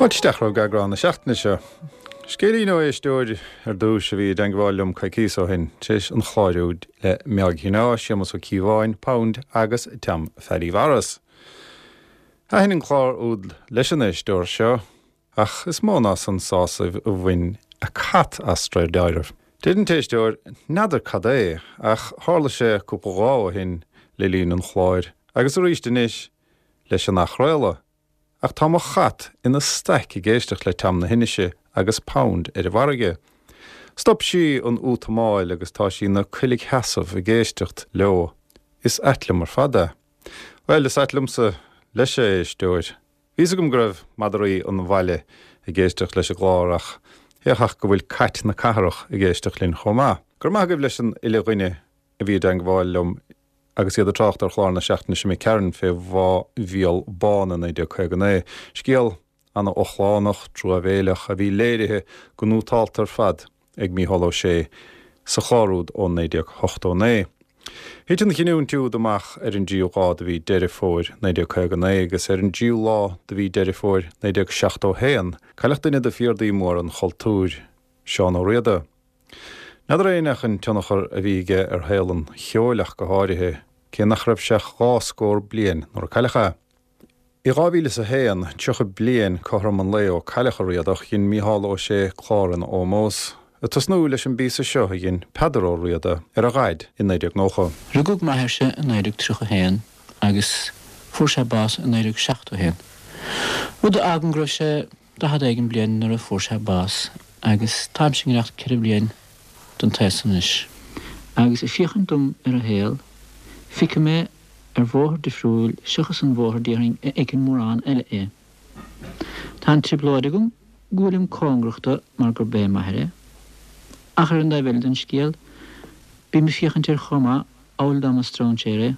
Fáilte isteach romhaibh go eagrán na seachtaine seo. Scéilín ó éisteoir ar dtúis a bhí i dteangmháil liom coicíos ó shin, tar éis an chláir úd le Meáig Shineá, Séamus Ó Cíobháin, Pound agus Tom Pheaidí Mhaurice. Thaitin an clár úd leis an éisteoir seo, ach is mó ná san sásamh a bhain a cat as de réir dealraimh. Deir an t-éisteoir, n'fheadar cad é, ach tharla sé cúpla lá ó shin le linn an chláir, agus arís anois leis an athchraoladh. Ach tá mo chat ina staic ag éisteacht le Tom na hInise agus Pound ar an bhfarraige. Stop sí an útamáil agus tá sí ina coilgsheasamh ag éisteacht leo. Is ait liom ar fad é. Bhuel, is ait liomsa leis a éisteoir. Bhí fhios agam go raibh madraí an bhaile ag éisteacht leis an gclár ach féach ach go bhfuil cait na cathrach ag éisteacht linn chomh maith. Go raibh maith agaibh leis an uile dhuine a bhí i dteangmháil liom Agus iad ag trácht ar chlár na seachtaine seo imigh tharainn fé Bhá Mhíol Bán i 1959, scéal ana-ochlánach, truamhéileach, a bhí léirithe go nótálta ar fad ag Mícheál Ó Sé sa chlár úd ó 1989. Thit an chinniúint úd amach ar an dtríú lá de mhí Deireadh Fómhair 1959 agus ar an dtríú lá de mhí Deireadh Fómhair 1971 cailleadh duine de phiardaí móra an chultúir, Seán Ó Riada. N'fheadar éinne ach an tionchar a bhí aige ar shaol an cheoil ach go háirithe, cé nach raibh sé ach 2 scór bliain nuair a cailleadh é. I 2001, 30 bliain cothrom an lae ó cailleadh an Riadach, dhein Mícheál Ó Sé clár ina ómós, ag tosnú leis an bpíosa seo a dhein Peadar Ó Riada ar a dhaid i 1990. Rugadh m'athairse i 1931 agus fuair sé bás i 1971, rud a fhágann go raibh sé 40 éigin bliain nuair a fuair sé bás agus táimse i ngiorracht 4 bliain don taos anois. Agus ag féachaint dom ar an shaol, feicim é ar bhóthar difriúil seachas an bhóthar déarfainn a fheiceann mórán eile é. Tá an trioblóid agam go bhfuilim cóngarach do mar gurb é m'athair é, ach ar an dtaobh eile den scéal, bím ag féachaint air chomh maith amhail dá mba stróinséir é,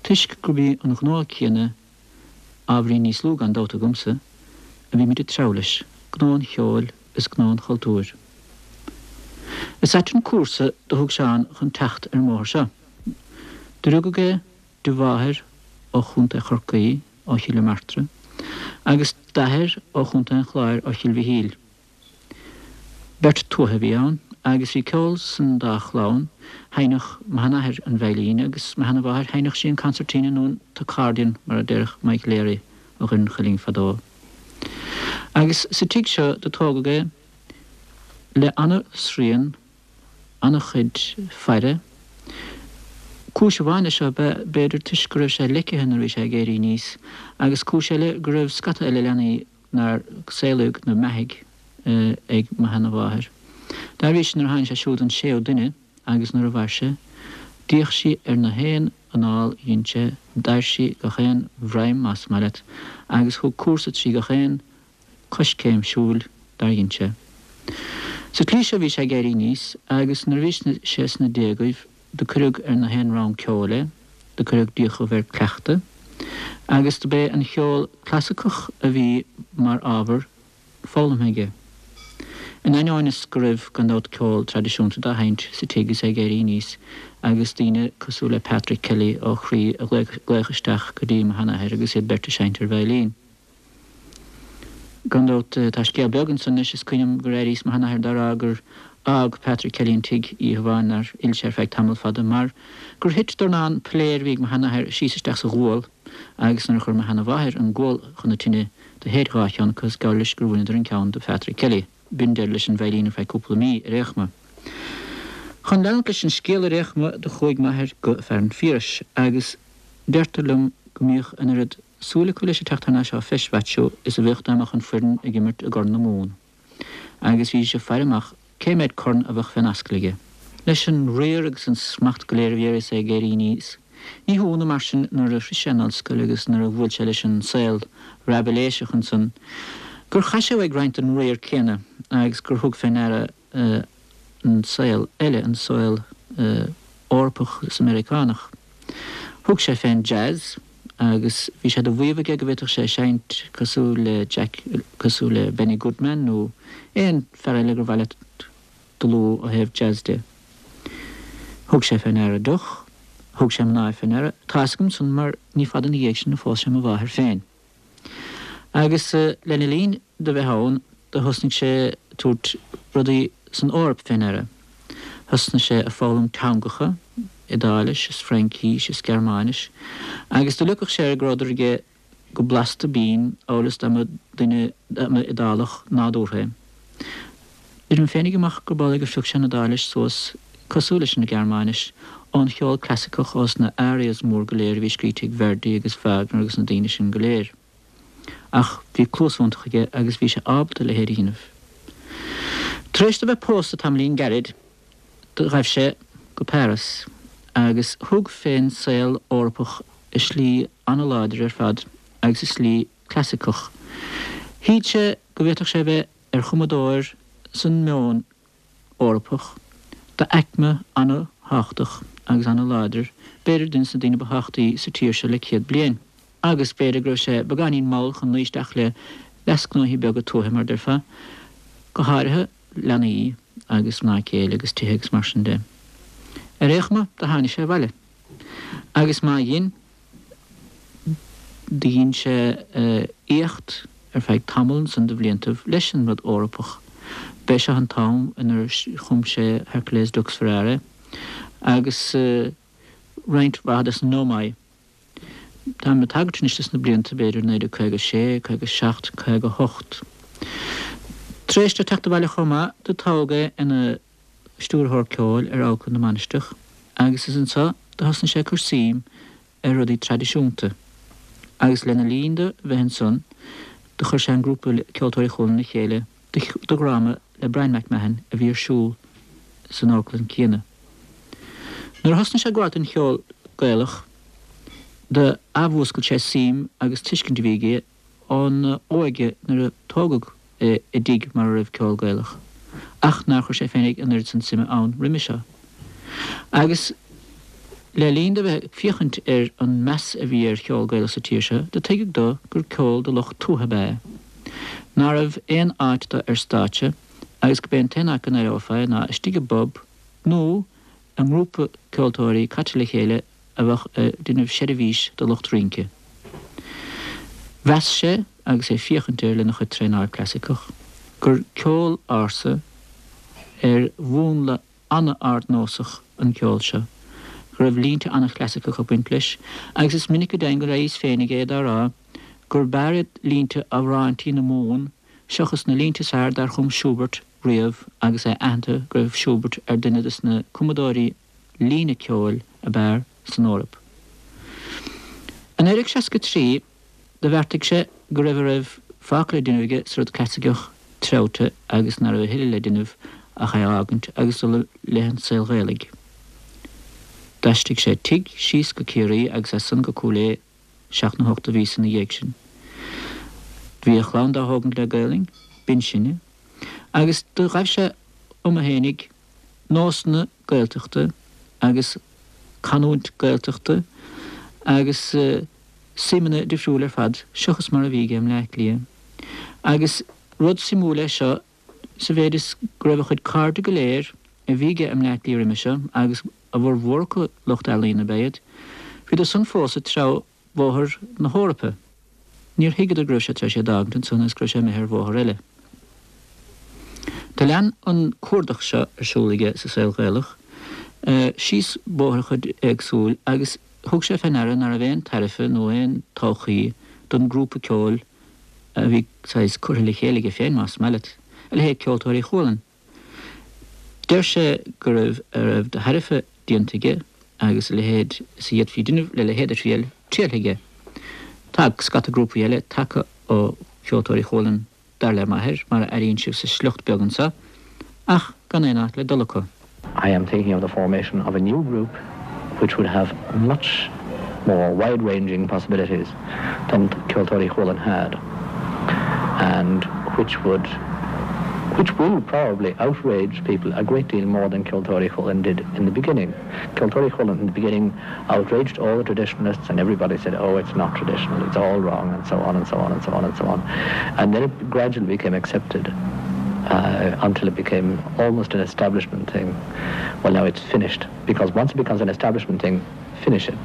toisc gurb í an gnó céanna ábhairín níos lú gan dabht agamsa, a bhímid ag treabhadh leis, gnó an cheoil is gnó an chultúir. Is ait an cúrsa do thug Seán chun teacht ar an mbóthar seo. Do rugadh é de mháthair ó Chontae Chorcaí, ó Chill na Martra, agus d'athair ó Chontae an Chláir, ó Chill Mhichíl. Beirt tuaithe a bhí ann agus bhí ceol san dá chlann, sheinneadh mo sheanathair an veidhlín agus mo sheanamháthair sheinneadh sí an concertina nó an t-accordion mar a déarfadh Mike Leary ó Dhoire an Chuilinn fadó. Agus sa tigh seo do tógadh é le ana-srian, ana-chuid faire. Cúis amháin leis seo ab ea b'fhéidir toisc go raibh sé leicithe nuair a bhí sé ag éirí aníos agus cúis eile go raibh scata eile leanaí nár saolaíodh nó beathaigh ag mo sheanamháthair. Dá bhrí sin nuair a tháinig sé siúd an séú duine agus nuair a mhair sé, d'fhéach sí ar na haon anáil a dhein sé, d'air sí gach aon bhroim más maith leat agus thug cúrsa trí gach aon choiscéim siúil dár dhein sé. Sa tslí seo bhí sé ag éirí aníos agus nuair a bhí sé sna déagaibh do cuireadh ar na haon rang ceoil é, do cuireadh d'fhiachaibh air cleachtadh, agus do b'é an cheol clasaiceach a bhí mar ábhar foghlamtha aige. In ainneoin is go raibh, gan dabht, ceol traidisiúnta dá sheinnt sa tigh is é ag éirí aníos, agus daoine cosúil le Patrick Kelly ó Chroí a ghlaoch isteach go dtí mo sheanathair agus iad beirt ag seinnt ar veidhlín. Gan dabht, tá scéal beag ansan leis, is cuimhin liom gur airíos mo sheanathair dá rá gur fhág Patrick Kelly an tigh oíche amháin nár fhill sé ar feadh tamall fada mar gur thit dornán piléar a bhí ag mo sheanathair síos isteach sa ghual agus nuair a chuir mo sheanamháthair an gual chun na tine do shéid dhá cheann acu is geall leis gur bhaineadar an ceann de Phatrick Kelly. B'in deireadh leis an veidhlín ar feadh cúpla mí ar aon chuma. Chun leanúint leis an scéal ar aon chuma do chuaigh m'athair go Fearann Phiarais agus deirtear liom go mbíodh an oiread súil acu leis ag teacht thar n-ais ó Feis Mhaitiú is a bheadh dá mbeadh an foireann ag imirt i gCorn na Mumhan. Agus bhídís ag faire amach cé méad corn a bheadh fén ascaill aige. Leis an riar agus an smacht go léir a bhí air is é ag éirí aníos, ní hionadh mar sin nuair a shroich sé an ollscoil agus nuair a bhuail sé leis an saol raibiléiseach ansan gur chaith sé uaidh roinnt den riar céanna agus gur thug fé ndeara an saol eile, an saol Eorpach is Meiriceánach. Thug sé fén jazz agus bhí sé de mhaíomh aige go bhféadfadh sé seinnt cosúil le Jack, cosúil le Benny Goodman nó aon fear eile gur mhaith leat do lua ó thaobh jazz de. Thug sé fé ndeara deoch, thug sé mná fé ndeara, tá fhios agam san mar ní fada ina dhiaidh sin a phós sé mo mháthair féin. Agus lena linn do bheith ann do thosnaigh sé ag tabhairt rudaí san Eoraip fé ndeara. Thosnaigh sé ag foghlaim teangacha, Iodáilis is Fraincís is Gearmáinis, agus do leogfadh sé air go rabhadar aige go blasta binn amhail is dá mba duine, dá mba Iodálach nádúrtha é. Deirim féinig amach gurb amhlaidh gur phioc sé an Iodáilis suas cosúil leis an Ghearmáinis ón cheol clasaiceach ós na arias mór go léir a bhí scríte ag Verdi agus Wagner agus na daoine sin go léir. Ach bhí cluas iontach aige agus bhí sé ábalta a leithéid a dhéanamh. Tar éis do bheith pósta tamaillín gairid do ghaibh sé go Páras agus thug fén saol Eorpach i slí ana-láidir ar fad agus i slí clasaiceach. Shíl sé go bhféadfadh sé a bheith ar chumadóir san meon Eorpach d'aicme ana-thábhachtach agus ana-láidir, b'fhéidir duine de na daoine ba thábhachtaí sa tír seo le 100 bliain. Agus b'fhéidir go raibh sé beagáinín mall chun luí isteach le leasghnóthaí beaga tuaithe, mar a déarfá, go háirithe leanaí agus mná céile agus tithe agus mar sin de. Ar aon chuma, do tháinig sé abhaile. Agus má dhein, do dhein sé éacht ar feadh tamall ansan de bhliantaibh leis an rud Eorpach. B'é seo an t-am inar chum sé Hercules Dux Ferrarae agus roinnt mhaith des na Neumae. Táim ag tagairt anois dos na blianta b'fhéidir 1956, 57, 58. Tar éis dó teacht abhaile chomh maith, do toghadh é ina stiúrthóir ceoil ar Amharclann na Mainistreach agus is anso do thosnaigh sé ag cur suim ar rudaí traidisiúnta agus lena linn do bheith ansan do chuir sé an grúpa Ceoltóirí Chualann le chéile do dhráma le Bryan MacMahon a bhí ar siúl san amharclann céanna. Nuair a thosnaigh sé ag gabháil don cheol Gaelach do athmhúscail sé suim agus tuiscint a bhí aige óna óige nuair a tógadh é i dtigh mar a raibh ceol Gaelach, ach nár chuir sé féinig an oiread san suime ann roimhe seo. Agus le linn do bheith ag féachaint ar an meas a bhí ar cheol Gaelach sa tír seo, do tuigeadh dó gur ceol do lucht tuaithe ab ea é, ná raibh aon áit dó ar stáitse agus go b'é an t-aon áit go n-aireofá é ná istigh i bpub nó i ngrúpa ceoltóirí caite le chéile a bheadh ag déanamh seirbhís do lucht rince. Mheas sé, agus é ag féachaint air lena chuid traenáil clasaiceach, gur ceol ársa ar mhúnla an-ardnósach an ceol seo, go raibh línte an-chlasaiceach ag baint leis, agus is minic go deimhin go raibh a fhios féinig é dá rá gur b'fhearr iad línte amhráintí na Mumhan seachas na línte is fearr dar chum Schubert riamh agus é aitheanta go raibh Schubert ar duine de na cumadóirí líne ceoil ab fhearr san Eoraip. I 1963 do bheartaigh sé go raibh a raibh fágtha le déanamh aige sa rud clasaiceach treabhta agus ná raibh a thuilleadh le déanamh ach é a fhágaint agus dul i leith an tsaoil Ghaelaigh. D'aistrigh sé tigh síos go Ciarraí agus as san go Cúil Aodha seacht nó hocht de mhíosa ina dhiaidh sin. Bhí a chlann dá thógaint le Gaelainn, b'in sinne, agus do ghaibh sé uime fhéinig nósanna Gaeltachta agus canúint Gaeltachta agus suimeanna difriúil ar fad seachas mar a bhí aige i mBleá Cliath. Agus rud suimiúil é seo sa mhéid is go raibh a chuid cairde go léir a bhí aige i mBleá Cliath roimhe seo, agus a bhformhór acu lucht ealaíon ab ea iad, bhíodar san fós ag treabhadh bhóthar na hEorpa. Níor thuigeadar go raibh sé tar éis é d'fhágaint ansan agus go raibh sé imithe ar bhóthar eile. Do lean an cuardach seo ar siúl aige sa saol Ghaelach síos bóithreacha éagsúil agus thug sé fé ndeara ná raibh aon tairfe nó aon todhchaí don grúpa ceoil a bhí saghas curtha le chéile aige féin, más maith leat, a leithéid Ceoltóirí Chualann. Deir sé go raibh a raibh de thairfe déanta aige agus a leithéid is a d'fhéadfaí déanamh le leithéid de thriail trialtha aige. Tá scata grúpaí eile tagtha ó Cheoltóirí Chualann, dar le m'athair, mar a airíonn sibh sa sliocht beag anso, ach gan aon áit le dul acu. I am thinking of the formation of a new group which would have much more wide-ranging possibilities than Ceoltóirí Chualann had and which would which will probably outrage people a great deal more than Ceoltóirí Chualann did in the beginning. Ceoltóirí Chualann in the beginning outraged all the traditionalists and everybody said, oh, it's not traditional, it's all wrong, and so on and so on and so on and so on. And then it gradually became accepted uh, until it became almost an establishment thing. Well, now it's finished, because once it becomes an establishment thing, finish it.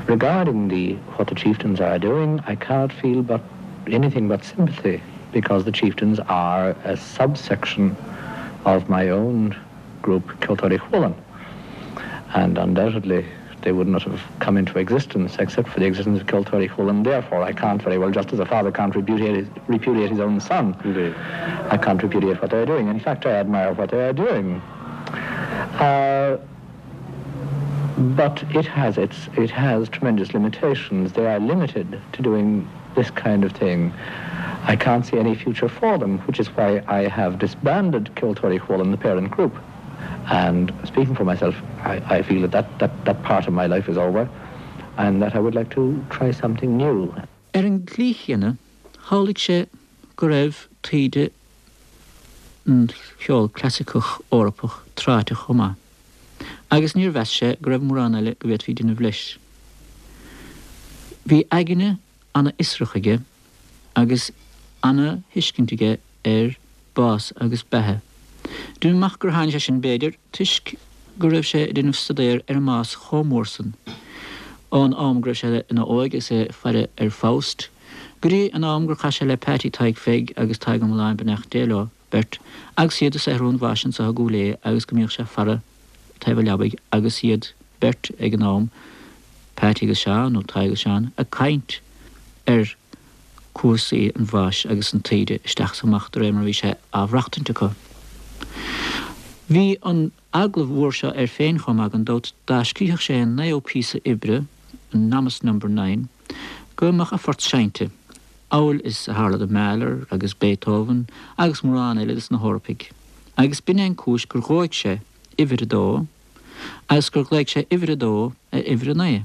Regarding the what the chieftains are doing, I cannot feel but anything but sympathy because the chieftains are a subsection of my own group Ceoltóirí Chualann and undoubtedly they would not have come into existence except for the existence of Ceoltóirí Chualann. Therefore, I can't very well, just as a father can't repudiate his, repudiate his own son, Indeed. I can't repudiate what they're doing. In fact, I admire what they are doing. Uh, but it has its it has tremendous limitations. They are limited to doing this kind of thing. I can't see any future for them, which is why I have disbanded Ceoltóirí Chualann, the parent group. And speaking for myself, I, I feel that that, that that part of my life is over and that I would like to try something new. Ar an tslí chéanna, shamhlaigh sé go raibh taoide an cheoil clasaiceach Eorpach tráite chomh maith, agus níor mheas sé go raibh mórán eile go bhféadfaí déanamh leis. Bhí aigne ana-fhiosrach aige agus ana-thuiscint aige ar bás agus beatha. Deinim amach gur tháinig sé sin, b'fhéidir, toisc go raibh sé ag déanamh staidéir ar an mbás chomh mór san, ón am go raibh sé ina óige agus é ag faire ar Faust, go dtí an am gur chas sé le Peaití Tadhg Pheig agus Tadhg Ó Mealláin, beannacht Dé leo beirt, agus iad ag saothrú an bháis anso i gCúil Aodha agus go mbíodh sé ag faire taobh a leabaidh agus iad beirt ag an am, Peaití agus Seán, nó Tadhg agus Seán, ag caint ar cúrsaí an bháis agus an taoide isteach is amach de réir mar a bhí sé á mhaireachtaint acu. Bhí an eagla mhór seo air féin chomh maith gan dabht dá scríobhadh sé an naoú píosa oibre, an Nomis Number Nine, go mbeadh a phort seinnte, amhail is a tharla do Mahler agus Beethoven agus mórán eile de na hEorpaigh. Agus b'in é an cúis gur dhóigh sé uimhir a dó agus gur ghlaoigh sé uimhir a dó ar uimhir a naoi.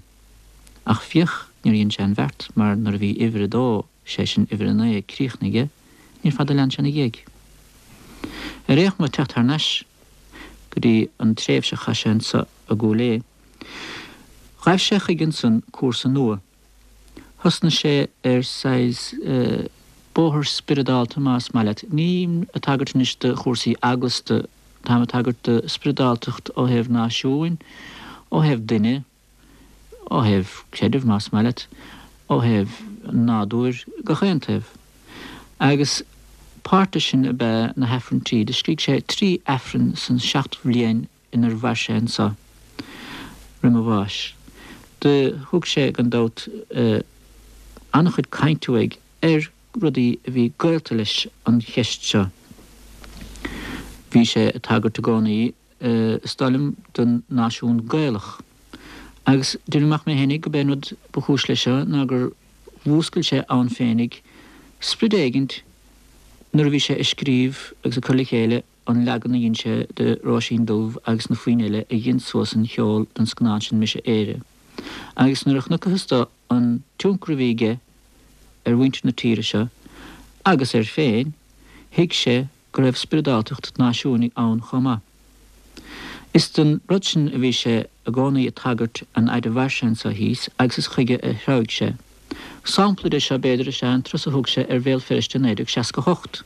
Ach féach, níor dhein sé an bheart, mar nuair a bhí uimhir a dó, sé sin uimhir a naoi, críochnaithe aige, níor fada a lean sé ina dhiaidh. Ar aon chuma, teacht thar n-ais go dtí an tréimhse a chaith sé anso i gCúil Aodha, ghaibh sé chuige ansan cúrsa nua. Thosnaigh sé ar saghas bóthar spioradálta más maith leat. Nílim ag tagairt anois do chúrsaí eaglasta, táim ag tagairt do spioradáltacht ó thaobh náisiúin, ó thaobh duine, ó thaobh creidimh más maith leat, ó thaobh an nádúir, gach aon taobh. Agus páirt de sin ab ea na hAifrinntí. Do scrígh sé 3 Aifreann san 7 bhliain inar mhair sé anso roim a bháis. Do thug sé, gan dabht, an-chuid cainte uaidh ar rudaí a bhí gaolta leis an cheist seo. Bhí sé ag tagairt i gcónaí, is dóigh liom, don náisiún Gaelach. Agus deinim amach mé fhéinig go b'é an rud ba chúis leis seo ná gur mhúscail sé ann féinig sprid éigint nuair a bhí sé ag scríobh agus ag cur le chéile an leagan a dhein sé de Róisín Dubh agus na foinn eile a dhein suas an cheol don scannán sin Mise Éire. Agus nuair a chonacthas dó an tionchar a bhí aige ar mhuintir na tíre seo agus air féin, thuig sé go raibh spioradáltacht náisiúnaigh ann chomh maith. Is don rud sin a bhí sé i gcónaí ag tagairt an fhaid a mhair sé anso thíos agus is chuige a threabhaigh sé. Sampla de seo, b'fhéidir, is ea an turas a thug sé ar Bhéal Feirste i 1968.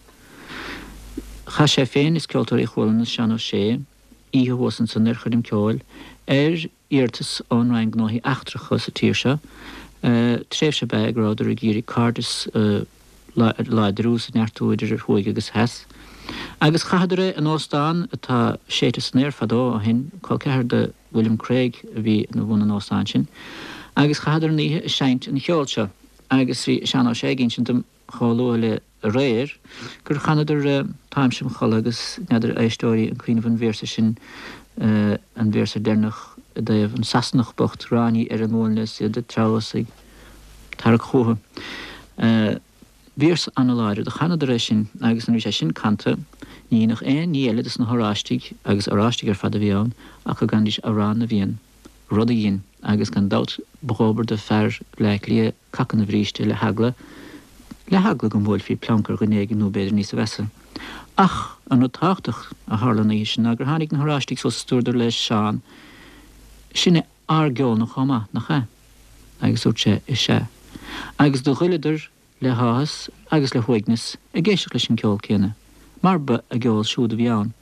Chaith sé féin is Ceoltóirí Chualann is Seán Ó Sé oíche thuas ansan ar choirm ceoil ar iarratas ón Roinn Gnóthaí Eachtracha sa tír seo. Tréimhse ab ea é go rabhadar ag iarraidh cairdeas a láidriú is a neartú idir thuaidh agus theas. Agus chaitheadar é in óstán atá séidte san aer fadó ó shin, col ceathar do William Craig a bhí ina bhun an óstáin sin, agus chaitheadar an oíche ag seinnt an cheoil seo agus bhí Seán Ó Sé ag insint dom chomh luath le aréir gur chanadar Táimse im chodladh agus n'fheadar éisteoirí an cuimhin libh an véarsa sin, an véarsa deireanach i dtaobh an Sasanach bocht, ráiní ar a nguailne is iad ag treabhadh is ag tarrac chúthu. Véarsa ana-láidir. Do chanadar é sin agus nuair a bhí sé sin canta ní dhéanfadh aon ní eile dos na hOráistigh, agus Oráistigh ar fad a bhí ann, ach go gcanfaidís Amhrán na bhFiann, rud a dhein, agus gan dabht ba dhóbair do fear Bhleá Cliath cac ina bhríste le heagla, le heagla go mbuailfí pleanc ar dhuine éigin nó b'fhéidir níosa mheasa. Ach an rud tábhachtach a tharla an oíche sin ná gur tháinig na hOráistigh suas is dúradar le Seán, Sin é ár gceol-na chomh maith, nach ea? Agus dúirt sé, Is ea. Agus do ghoileadar le háthas agus le huaigneas ag éisteacht leis an gceol céanna, mar ba a gceol siúd a bhí ann.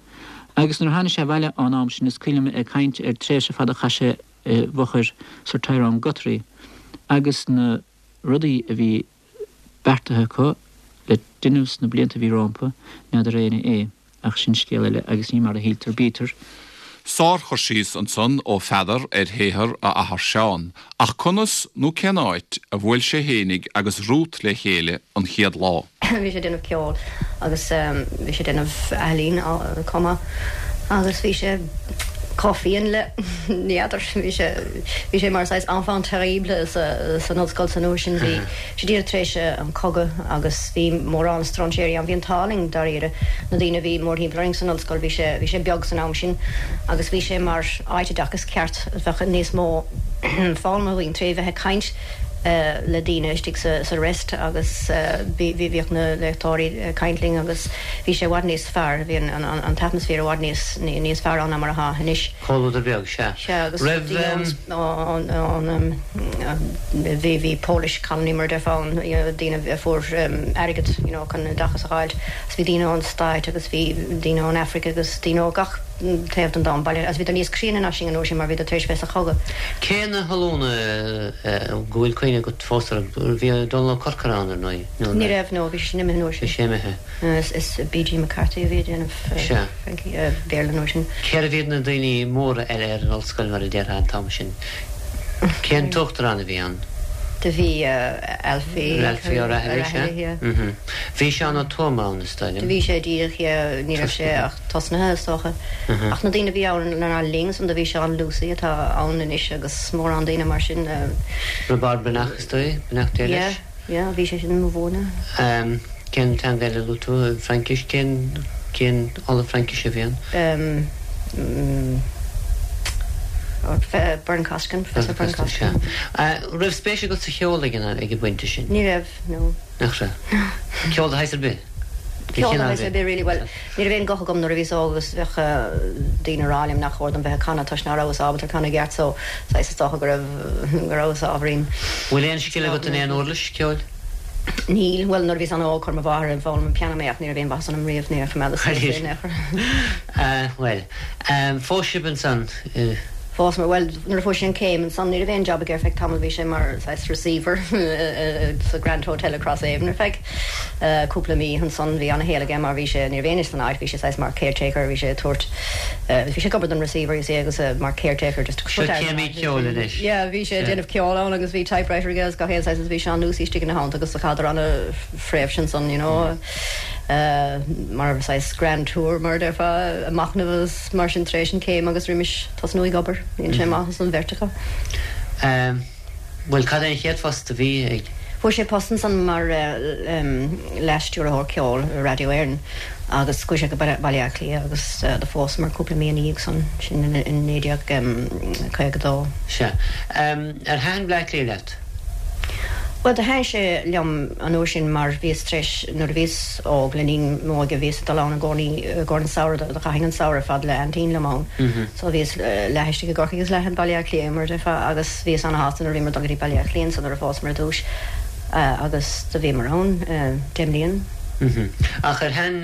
Agus nuair a tháinig sé abhaile ón am sin is cuimhin liom é ag caint ar tréimhse fada a chaith sé i bhfochair Sir Tyrone Guthrie agus na rudaí a bhí. beartaithe acu le déanamh sna blianta a bhí rompu, n'fheadar éinne é, ach sin scéal eile agus ní mar a shíltear bítear. Sár-chur síos ansan ó Pheadar ar shaothar a athar Seán, ach conas nó cén áit a bhuail sé fhéinig agus Ruth le chéile an chéad lá? Bhí sé ag déanamh ceoil agus bhí sé ag déanamh ealaín chomh maith agus bhí sé chomh fiain le, ní fheadar, bhí sé, bhí sé mar saghas enfant terrible sa, san ollscoil san uair sin. Bhí sé díreach tar éis an cogadh agus bhí mórán stróinséirí ann. Bhí an t-ádh linn dáiríre, na daoine a bhí mórthimpeall orainn san ollscoil, bhí sé, bhí sé beag san am sin agus bhí sé mar áit oideachais ceart, bheadh níos mó foghlama againn tré bheith ag caint le daoine istigh sa rest agus bhíodh na léachtóirí ag caint linn agus bhí sé i bhfad níos fearr, bhí an t-atmaisféar i bhfad níos níos fearr ann ná mar atá anois. Comhluadar beag, sea. Sea, agus daoine ón ón bhí bhí Polish colony mar a déarfá ann, you know, daoine a fuair airgead, you know, chun oideachas a fháilt agus bhí daoine ón Stáit agus bhí daoine ón Afraic agus daoine ó gach taobh den domhan, baile, agus bhíodar níos críonna ná sinn an uair sin mar bhíodar tar éis bheith sa chogadh. Cé na hollúna go bhfuil cuimhne agat fós orthu? Bhí Dónal Ó Corcora ann, ar ndóigh, nó an Ní raibh, no, bhí sé sin imithe an uair sin. Bhí sé imithe. Is B.G. McCarthy a bhí ag déanamh Sea. Fraincis, Béarla an uair sin. Cérbh iad na daoine móra eile ar an ollscoil, mar a déarfá, an t-am sin? Cén t-uachtarán a bhí ann? Do bhí Alfie. Alfie O'Rahilly, sea. yeah. Bhí Seán Ó Tuama ann, is dóigh liom. Do bhí sé díreach, yeah, ní raibh sé ach tosnaithe, is dócha. Ach na daoine a bhí ann lenár linn san, do bhí Seán Lucey atá ann anois agus mórán daoine mar sin. Roibeárd Breathnach, is dóigh, beannacht Dé leis. Yeah, yeah, bhí sé sin ag múineadh. Cén teanga eile a luaigh tú? Fraincis? Cén, cén ollamh Fraincise a bhí ann? Bern Costigan, Professor Bern Costigan. Sea. Raibh spéis agat sa cheol ag an, ag an bpointe sin? Ní raibh, no. Nach raibh? Ceol de shaghas ar bith? Ceol de shaghas ar bith really, bhuel, ní raibh aon guth agam nuair a bhíos óg agus bheadh daoine ag rá liom nach chóir dom bheith ag canadh toisc ná rabhas ábalta canadh i gceart so saghas is dócha go raibh, go rabhas ábhairín. Bhfuil aon scil agat in aon uirlis ceoil? Níl, bhuel nuair a bhíos an-óg chuir mo mháthair ag foghlaim an pianó mé ach ní raibh aon mhaitheas ionam riamh, níor choimeádas suas é in aon chor. Bhuel, phós sibh ansan i. Phósamar, bhuel nuair a fuair sé an céim ansan ní raibh aon job aige ar feadh tamaill, bhí sé mar saghas receiver sa Grand Hotel i Crosshaven ar feadh cúpla mí ansan bhí ana-shaol aige mar bhí sé, ní raibh éinne san áit, bhí sé saghas mar caretaker, bhí sé ag tabhairt, bhí sé ag obair don receiver you see agus mar caretaker just Seo céimí ceoil anois. Yeah bhí sé ag déanamh ceoil ann agus bhí typewriter aige agus gach aon saghas agus bhí Seán Lucey istigh ina theannta agus do chaitheadar ana-thréimhse ansan you know mar saghas grand tour mar a déarfá ag machnamh agus mar sin tar éis an céim agus roimis tosnú ag obair. Dhein sé maith as an bheirt acu. Bhuel, cad é an chéad phost a bhí ag. Fuair sé post ansan mar leas-stiúrthóir ceoil i Radio Éireann agus chuaigh sé go Baile Átha Cliath agus do phósamar cúpla mí ina dhiaidh san, sin in 1952. Sea. Ar thaitin Bleá Cliath leat? Bhuel, do thaitin sé liom an uair sin mar bhíos tar éis, nuair a bhíos óg, le linn m'óige, bhíos ag dul ann i gcónaí i gcomhair an samhradh, do chaithinn an samhradh ar fad le aintín liom ann. So bhíos leath istigh i gCorcaigh agus leath i Baile Átha Cliath, mar a déarfá, agus bhíos ana-shásta nuair a bhíomar ag dul go dtí Baile Átha Cliath ansan nuair a phósamar ar dtúis agus do bhíomar ann deich mblian. Ach ar thaitin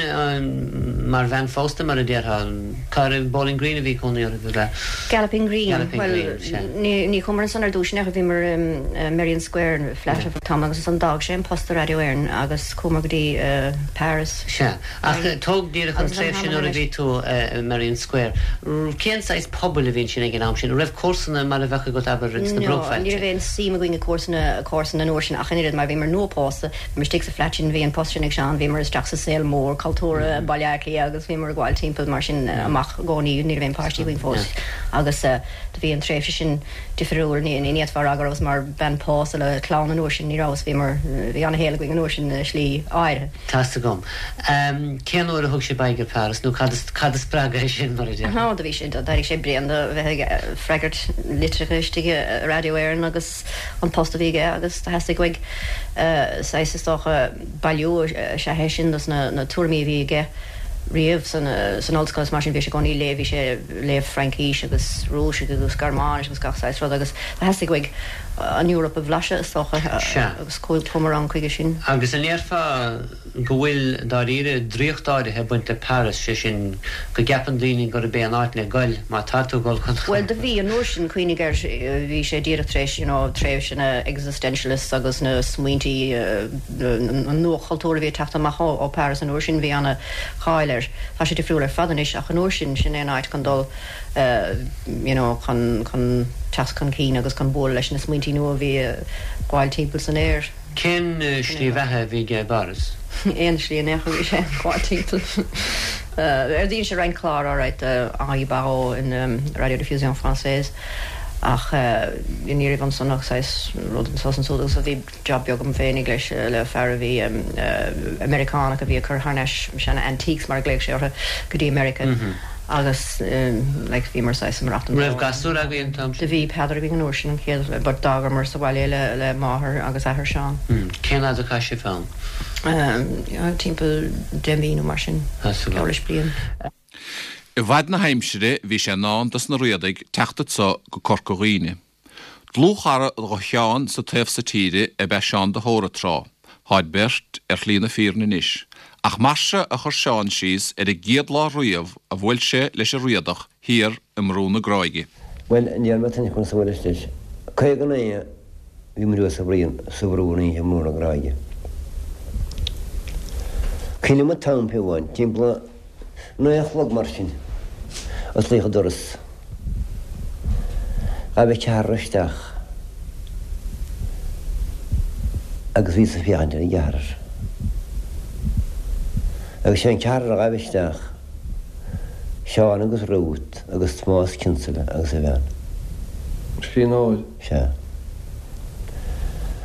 mar bhean phósta, mar a déarfá, cá raibh Bowling Green a bhí cónaí oraibh, ab ea? Galloping Green. Galloping Bhuel, Green, sea. ní, ní chuamar ansan ar dtúis in aon chor, bhíomar i Merrion Square, flat ar feadh tamaill agus ansan d'fhág sé an post i Raidió Éireann agus chuamar go dtí Paris. Sea. Ach tóg díreach an tréimhse nuair a bhí tú i Merrion Square. Cén saghas pobail a bhí ansin ag an am sin? An raibh comharsana mar a bheadh agat, abair, ins na No, ní bruachbhailte? raibh aon suim againn i comharsana, comharsana an uair sin ach an oiread mar bhíomar nua-phósta, Bhíomar istigh sa flat sin, bhí an post sin ag Seán, bhíomar isteach sa saol mór cultúrtha i Baile Átha Cliath agus bhíomar ag gabháil timpeall mar sin amach i gcónaí, ní raibh aon páistí againn fós agus do bhí an tréimhse sin difriúil, ní fhéadfá a rá go rabhas mar bhean pósta le clann an uair sin, ní rabhas, bhíomar, bhí ana-shaol againn an uair sin i slí áirithe. Tá's agam. Cén uair a thug sibh aghaidh ar Paris nó cad cad a spreag é sin mar a déarfá? Ó, do bhí sé, d'éirigh sé bréan de bheith ag freagairt litreacha istigh i Raidió Éireann agus. an post a bhí aige agus do theastaigh uaidh saghas, is dócha, bailiú is ea é sin dos na tuairimí a bhí aige. riamh san san ollscoil is mar sin bhí sé i gcónaí ag léamh, bhí sé ag léamh Fraincís agus Rúisis agus Gearmáinis agus gach saghas rud agus theastaigh uaidh an Eoraip a bhlaiseadh is dócha agus chuamar ann chuige sin. Agus an ndéarfá go bhfuil, dáiríre, draíocht áirithe ag baint le Paris, sé sin, go gceapann daoine gurb é an áit le goil má tá tú ag dul chun. Bhuel, do bhí, an uair sin, cuimhnigh air, bhí sé díreach tar éis, you know, tréimhse na existentialists agus na smaointí, an nuachultúr a bhí ag teacht amach ó Paris an uair sin, bhí ana cháil air. Tá sé difriúil ar fad anois ach an uair sin, sin é an áit chun dul, you know, chun, chun teacht chun cinn agus chun bualadh leis na smaointí nua a bhí ag gabháil timpeall san aer. Cén slí bheatha a bhí aige i bPáras? Aon slí in aon chor, bhí sé ag gabháil timpeall. Dhein sé roinnt clár alright do Henri Barraud in Radiodiffusion Française ach ní raibh ansan ach saghas rud anso is ansúd agus bhí job beag agam féinig leis, le fear a bhí, Meiriceánach a bhí ag cur thar n-ais seana antiques mar a ghlaoigh sé orthu go dtí Meiriceá agus like bhíomar saghas ag maireachtaint An raibh gasúr agaibh an t-am sin? Do bhí Peadar againn an uair sin an chéad but d'fhágamar sa bhaile é le le máthair agus athair Seán. Cén fhad a chaith sibh ann? Timpeall 10 mí nó mar sin, geall leis bliain. I bhfad na haimsire bhí sé i ndán dos na Riadaigh teacht anso go Corca Dhuibhne. Dlúthchara dho Sheán sa taobh so tíre ab ea Seán de hÓra tráth. Táid beirt ar shlí na fírinne anois. Ach mar seo a chuir Seán síos ar an gcéad lá riamh a bhuail sé leis an Riadach thiar i mBrú na Gráige. Bhuel, an ndéarfaidh mé tuin conas a bhuaileas leis. 59 bhí muid thuas sa bhruíon, sa bhrú an oíche i mBrú na Gráige. Cuimhním an t-am fiú amháin, timpeall 9 a chlog mar sin, osclaíodh an doras. Ghabh an ceathrar isteach agus bhíos ag féachaint ar an gceathrar. Agus sé an ceathrar a ghabh isteach, Seán agus Ruth agus Tomás Kinsella agus a bhean. Scríbhneoir. Sea.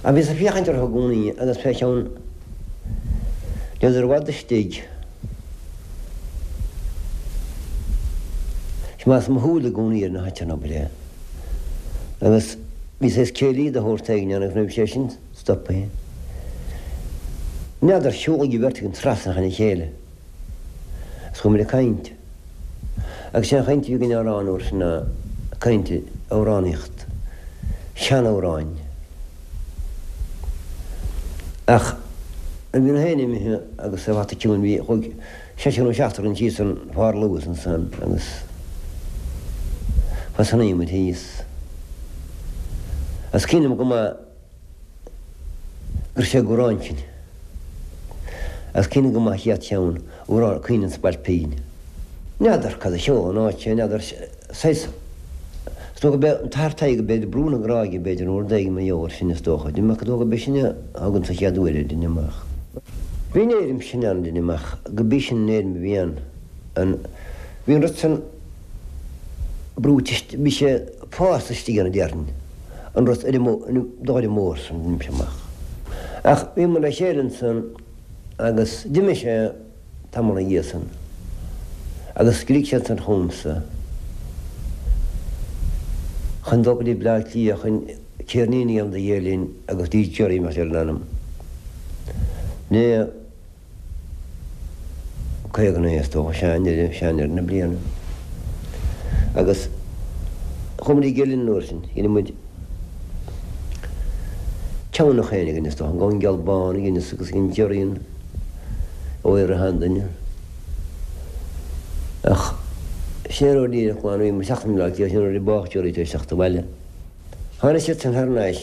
Ach bhíos ag féachaint orthu i gcónaí agus fé cheann n'fheadar i bhfad istigh. Choimeádas mo shúil i gcónaí ar na háit an obair é. Agus bhí saghas céilí de shórt éigin ann agus nuair a bhí sé sin stoptha, n'fheadar, shiúlaigh an bheirt againn trasna chun a chéile agus chuaigh muid ag caint. Agus sé an chaint a bhí againn á rá an uair sin ná caint amhránaíocht, seanamhráin. Ach nuair a bhí na héin imithe agus an fata ciúin bhí, chuaigh seisear nó seachtar againn síos an pharlús ansan agus thosnaigh muid thíos. Agus cuimhním go maith go raibh sé ag amhrán sin. Agus cuimhním go maith an chéad cheann, amhrán Caoineadh an Spailpín. N'fheadar cad a sheol an áit sé, n'fheadar saghas, is dócha gurb é an tAthair Tadhg b'fhéidir Brú na Gráige b'fhéidir nó rud éigin mar gheall air sin is dócha. Deinim amach is dócha gurb é sin a thug an sa chéad uair é deinim amach. Bhí an éirim sin ann deinim amach go b'í sin an éirim a bhí ann. An, bhí an rud san brúite, bhí sé fásta istigh ann a déarfainn, an rud ar an dóire mór san deinimse amach. Ach bhíomar le chéile ansan agus d'imigh sé tamall ina dhiaidh san agus scrígh sé ansan chugamsa chun dul go dtí Bleá Cliath chun ceirnín a dhéanamh do Ghael Linn agus dí Gerry mar ar an ainm. Né. 59 is dócha, sea, i ndeireadh, sea, i ndeireadh na bliana. Agus chuaigh muid ag Gael Linn an uair sin, dhein muid ceann nach éinne againn is dócha, an Gamhain Geal Bán a dheineas agus dhein Gerry an Óir a sheanduine. Ach sin é an uair dhíreach lá a bhí muid ag teacht i mBleá Cliath, sin an uair a bádh Gerry tar éis teacht abhaile. Tháinig siad san thar n-ais.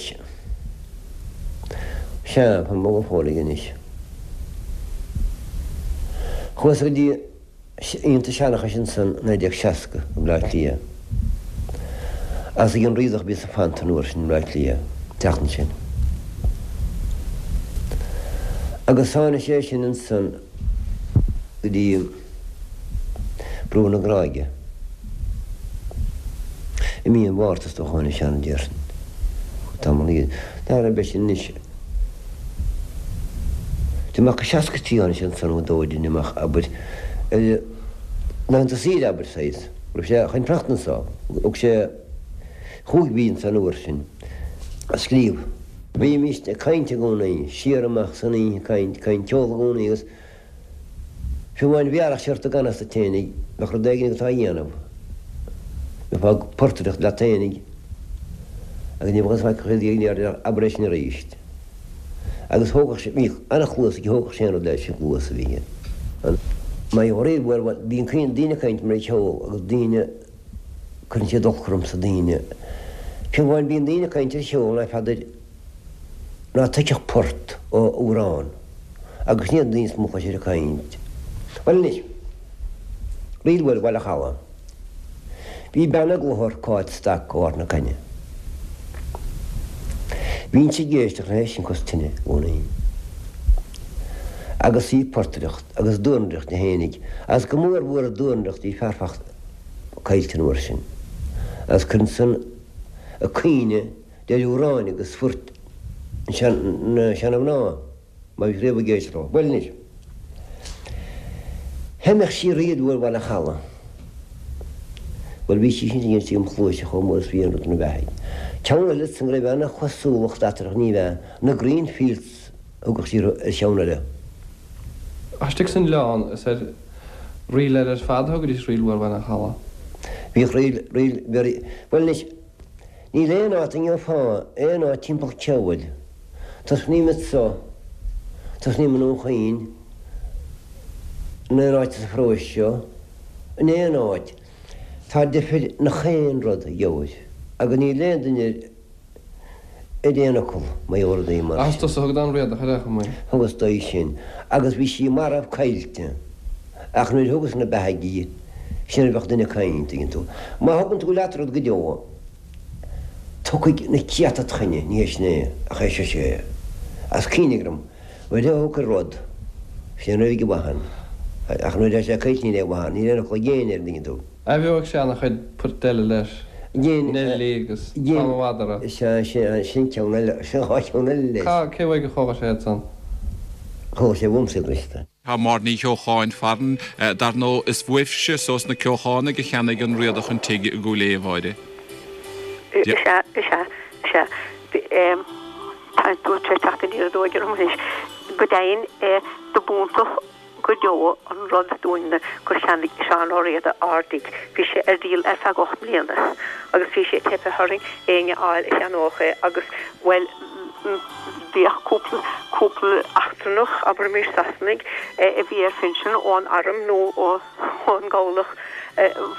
Sea, tá mo go fóill aige anois. Chuas go dtí Aontas Seanchais ansan 1960 i mBleá Cliath. Agus ag an Riadach a bhíos ag fanacht an uair sin i mBleá Cliath, an tseachtain sin. Agus tháinig sé sin ansan go dtí Brú na Gráige. I mí an Mhárta is dócha tháinig sé ann déarfainn. Tamall iad. Dar ar bith sin anois. Deinim amach i 63 tháinig sé ansan nó dó deinim amach abair ar laethanta saoire abair saghas. Raibh sé chun fanacht anso. Thug sé chúig mhí anso an uair sin a scríobh. Bhímíst ag caint i gcónaí, siar amach san oíche ag caint, caint ceol i gcónaí agus. Fiú amháin bhéarfadh sé ort ag anocht duit fhéinig, bheadh rud éigin agat á dhéanamh. Bheifeá ag portaireacht leat fhéinig agus ní bheadh fhios acu céard a déarfá, abair é sin arís. Agus thógadh sé, bhíodh an-chluas aige, thógadh sé an rud leis, an chluas a bhí aige. Mar ríl mhór, bhuel, bíonn daoine ag caint mar ar cheol agus daoine, cuireann siad olc ormsa, daoine. Fiú amháin bíonn daoine ag caint ar cheol ná feadair ná tuigfeadh port ó amhrán agus sin iad na daoine is mó a chloisir ag caint. Bhuel anois, ríl mhór Bhaile Chalaidh. Bhí bean i gClochar, Cáit Stac ó Ard na Caithne. Bhínnse ag éisteacht léi sin cos tine i gcónaí. Agus í ag portaireacht agus dornaireacht di fhéinig, agus go mór mhór an dornaireacht bhí fear fachta caillte an uair sin. Agus cuireann san a caoineadh deir amhráin agus phoirt na seana-mhná. Má bhí riamh ag éisteacht leo. Bhuel anois. Theimeadh sí ríl mhór Bhaile Chalaidh. Bhuel bhí sí sin ag inse im chluaise chomh mór is bhí aon rud ina beathaidh. Ceann eile san go raibh ana-chosúlacht eatarthu ní bhea, na Green Fields a thugadh sí orthu ar cheann eile. Istigh san oileán is ar ríl eile ar fad a thugaidís Ríl Mhór Bhaile Chalaidh. Bhíodh ríl, ríl, bhuel anois, níl aon áit a ngeofá aon áit timpeall ceoil. Tosnaím anso, tosnaím i nDún Chaoin, in aon áit sa pharóiste seo, in aon áit, tá deifir i ngach aon rud a gheobhair, agus níl aon duine ar aon fhocal mar gheall ar rudaí mar sin. Is tusa a thug don Riadach ar aon chuma í. Thugas dó í sin, agus bhí sí marbh caillte, ach nuair a thugas ina beathaidh í, sin a bheadh duine ag caint, tuigeann tú. Má thugann tú leat rud go deo, Tiocfaidh na céadta id choinne, ní hé sin é, ach é seo sé é. As cuimhne orm, nuair a thug rud, sin é an mhaith ann. Ach nuair atá sé caillte níl aon mhaith ann, níl aon fhocal ag éinne air, an dtuigeann tú. Athbheoigh sé ana-chuid poirt eile leis, Neilí agus Tom an Mhadra. Sea, sin ceann eile, sin dhá cheann eile leis. Cé uaidh a chuala sé iad san? Chuala sé uaimse iad anois. Tá Máire Ní Cheocháin farainn. Dar ndóigh, is uaibhse so sna Ceochánaigh a cheannaigh an Riadach an tigh i gCúil Aodha, a Mháire. Is ea, is ea, is ea. Tá tú tar éis teacht aniar aduaidh orm anois. Go deimhin, do b'iontach go deo an rud dúinne gur cheannaigh Seán Ó Riada ár dtigh. Bhí sé ar díol ar feadh 8 mbliana agus bhí sé teipthe orainn éinne a fháil a cheannódh é agus, bhuel, Bhíodh cúpla, cúpla eachtrannach, abraimis Sasanaigh, a bhí ar phinsean ón arm nó ón gcabhlach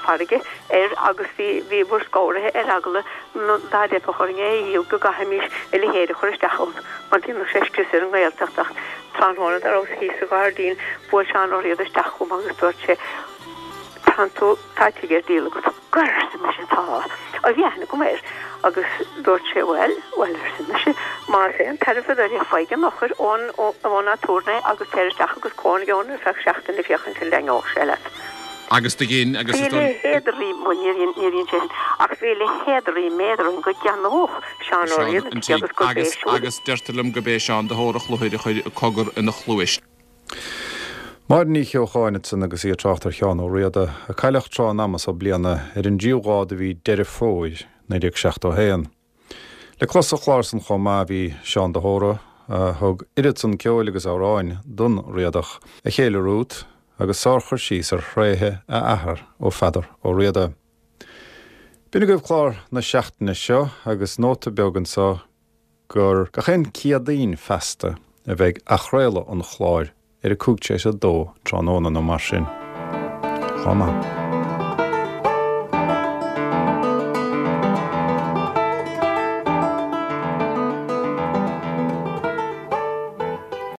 farraige air agus bhí, bhíomar scanraithe ar eagla dá dteipfeadh orainn é a dhíol go gcaithfimis a leithéid a chur isteach ann mar dhéanfadh sé scrios ar an nGaeltacht ach tráthnóna dá rabhas thíos sa ghairdín bhuail Seán Ó Riada isteach chugam agus dúirt sé Tánn tú, tá tigh ar díol agat. Go, arsa mise, tá. Ó bhí aithne agam air agus dúirt sé, bhuel, bhuel, arsa mise, más aon tairbhe duit é, faigh an eochair ón, ón aturnae agus téir isteach agus cónaigh ann ar feadh seachtaine féachaint an dtaitneodh sé leat. Agus do dhein, agus Bhí a leithéid de ríméad, bhuel, níor dhein, níor dhein sé sin, ach bhí a leithéid de ríméad orainn go gceannódh Seán Ó Riada an tigh agus gurb é Agus, siúd. agus deirtear liom go b'é Seán de hÓra Chlochair a chuir cogar ina chluais. Máire Ní Cheocháin ansan agus í ag trácht ar Sheán Ó Riada, a cailleadh tráth an ama so bliana, ar an dtríú lá de mhí Deireadh Fómhair, 1971. Le clos sa chlár san chomh maith bhí Seán de hÓra, a thug oiread san ceoil agus amhráin don Riadach, a chéile Ruth, agus sárchur síos ar thréithe a athar ó Pheadar Ó Riada. B'in agaibh clár na seachtaine seo agus nóta beag anso gur gach aon Céadaoin feasta a bheidh athchraoladh an chláir ar a 2:05 tráthnóna nó mar sin. Lá maith.